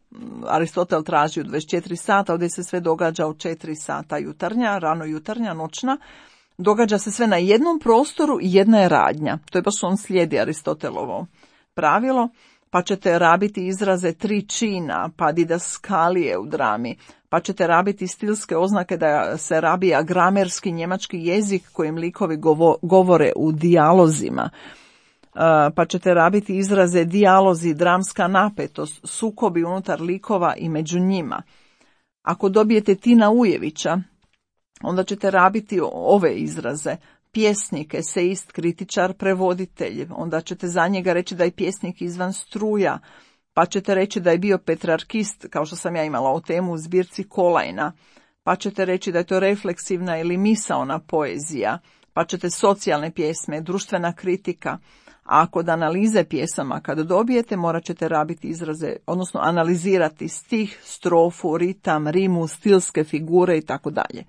Aristotel traži u dvadeset četiri sata, ovdje se sve događa u četiri sata jutarnja, rano jutarnja, noćna, događa se sve na jednom prostoru i jedna je radnja, to je baš on slijedi Aristotelovo pravilo, pa ćete rabiti izraze tri čina, pa didaskalije u drami, pa ćete rabiti stilske oznake da se rabi agramerski njemački jezik kojim likovi govo, govore u dijalozima, pa ćete rabiti izraze dijalozi, dramska napetost, sukobi unutar likova i među njima. Ako dobijete Tina Ujevića, onda ćete rabiti ove izraze: pjesnik, eseist, kritičar, prevoditelj. Onda ćete za njega reći da je pjesnik izvan struja, pa ćete reći da je bio petrarkist, kao što sam ja imala o temu u zbirci Kolajna, pa ćete reći da je to refleksivna ili misaona poezija, pa ćete socijalne pjesme, društvena kritika. A kod analize pjesama, kada dobijete, morat ćete rabiti izraze, odnosno analizirati stih, strofu, ritam, rimu, stilske figure i tako dalje.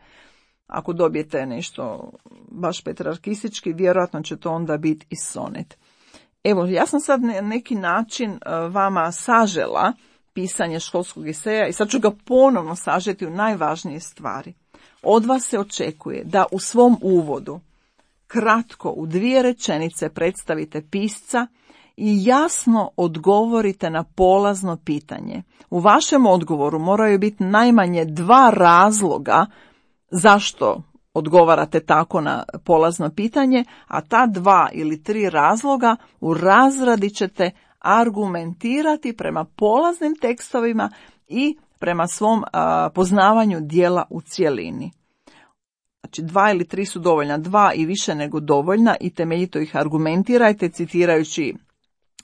Ako dobijete nešto baš petrarkistički, vjerojatno će to onda biti i sonet. Evo, ja sam sad na neki način vama sažela pisanje školskog eseja i sad ću ga ponovno sažeti u najvažnije stvari. Od vas se očekuje da u svom uvodu kratko u dvije rečenice predstavite pisca i jasno odgovorite na polazno pitanje. U vašem odgovoru moraju biti najmanje dva razloga zašto odgovarate tako na polazno pitanje, a ta dva ili tri razloga u razradi ćete argumentirati prema polaznim tekstovima i prema svom a, poznavanju dijela u cjelini. Znači dva ili tri su dovoljna, dva i više nego dovoljna i temeljito ih argumentirajte citirajući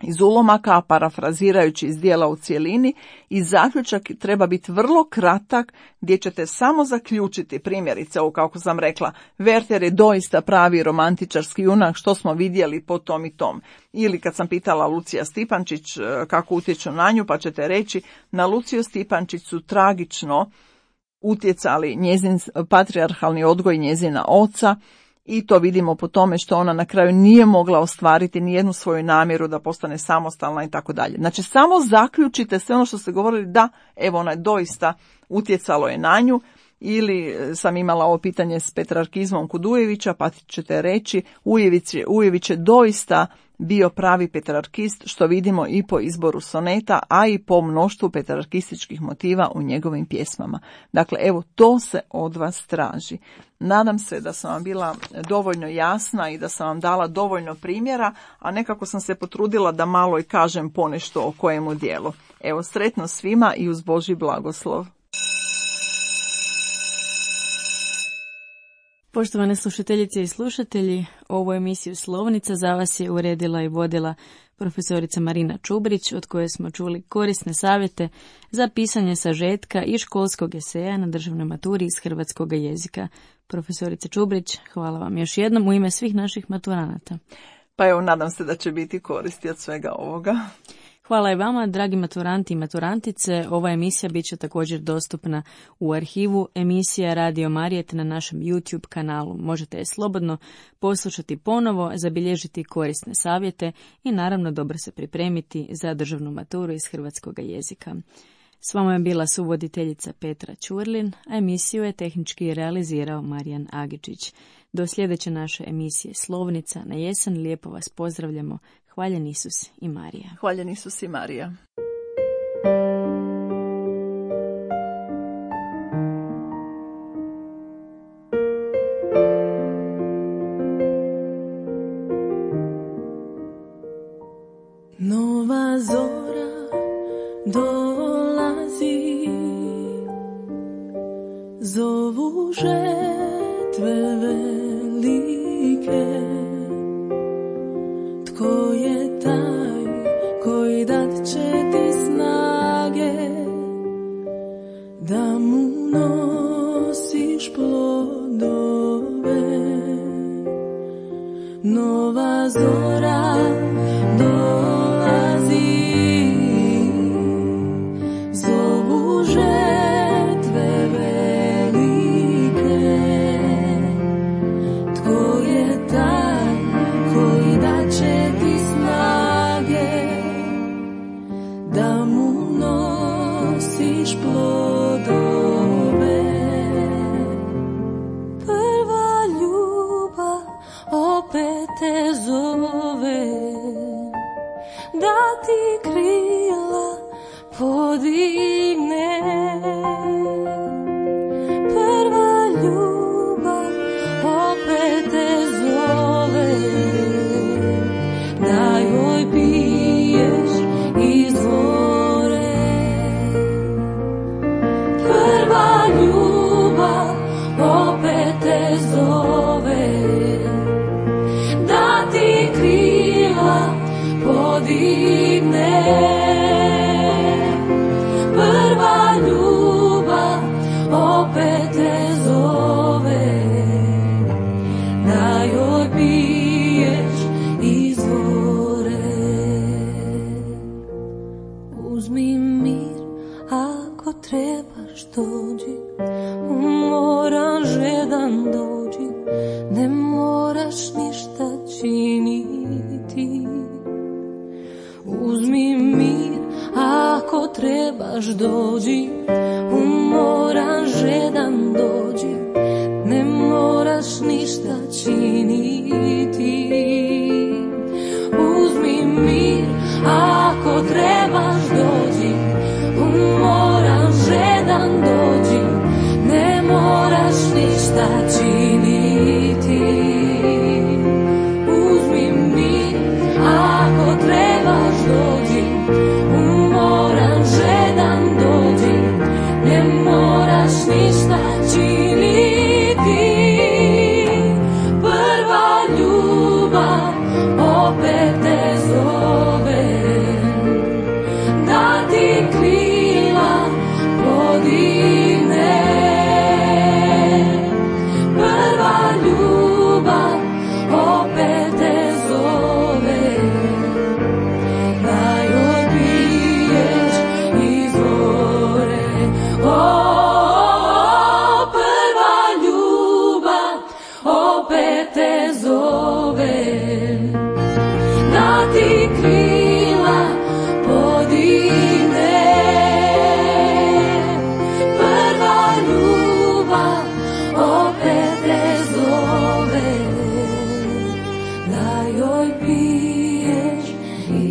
iz ulomaka, parafrazirajući iz dijela u cjelini i zaključak treba biti vrlo kratak gdje ćete samo zaključiti, primjerice, ovo kako sam rekla, Werther je doista pravi romantičarski junak, što smo vidjeli po tom i tom. Ili kad sam pitala Lucija Stipančić kako utječu na nju, pa ćete reći na Luciju Stipančić su tragično utjecali njezin patrijarhalni odgoj njezina oca, i to vidimo po tome što ona na kraju nije mogla ostvariti ni jednu svoju namjeru da postane samostalna i tako dalje. Znači samo zaključite sve ono što ste govorili, da, evo ona je doista utjecalo je na nju, ili sam imala ovo pitanje s petrarkizmom kod Ujevića, pa ćete reći Ujević je, Ujević je doista bio pravi petrarkist, što vidimo i po izboru soneta, a i po mnoštvu petrarkističkih motiva u njegovim pjesmama. Dakle, evo, to se od vas traži. Nadam se da sam vam bila dovoljno jasna i da sam vam dala dovoljno primjera, a nekako sam se potrudila da malo i kažem ponešto o kojemu dijelu. Evo, sretno svima i uz Božji blagoslov. Poštovane slušateljice i slušatelji, ovu emisiju Slovnica za vas je uredila i vodila profesorica Marina Čubrić, od koje smo čuli korisne savjete za pisanje sažetka i školskog eseja na državnoj maturi iz hrvatskog jezika. Profesorice Čubrić, hvala vam još jednom u ime svih naših maturanata. Pa evo, nadam se da će biti koristi od svega ovoga. Hvala i vama, dragi maturanti i maturantice. Ova emisija bit će također dostupna u arhivu emisija Radio Marijet na našem YouTube kanalu. Možete je slobodno poslušati ponovo, zabilježiti korisne savjete i naravno dobro se pripremiti za državnu maturu iz hrvatskog jezika. S vama je bila suvoditeljica Petra Čurlin, a emisiju je tehnički realizirao Marijan Agičić. Do sljedeće naše emisije Slovnica na jesen lijepo vas pozdravljamo. Hvaljen Isus i Marija. Hvaljen Isus i Marija. Nova zora dolazi, zovu žetve velike. Tko je taj koji dat će ti snage da mu nosiš plodove? Nova zora dolazi, zovu žetve velike. Tko je taj koji dat će ti snage da mu nosiš plodove? Prva ljubav opet te zove, da ti krila podigne. Prva ljubav opet te zove, da joj piješ izvore. Prva ljubav opet te zove, da ti krila podigne. Prva ljubav opet te zove, da joj piješ izvore. Uzmi mir ako trebaš dođi, moram žedan dođi, ne moraš ništa činiti. Uzmi mir ako trebaš dođi, umoran žedan dođi, ne moraš ništa činiti. Uzmi mir ako trebaš dođi, umoran žedan dođi, ne moraš ništa činiti. Uzmi mir ako trebaš dođi, umoran žedan dođi,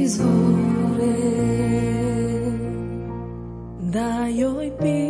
izvore, da joj pi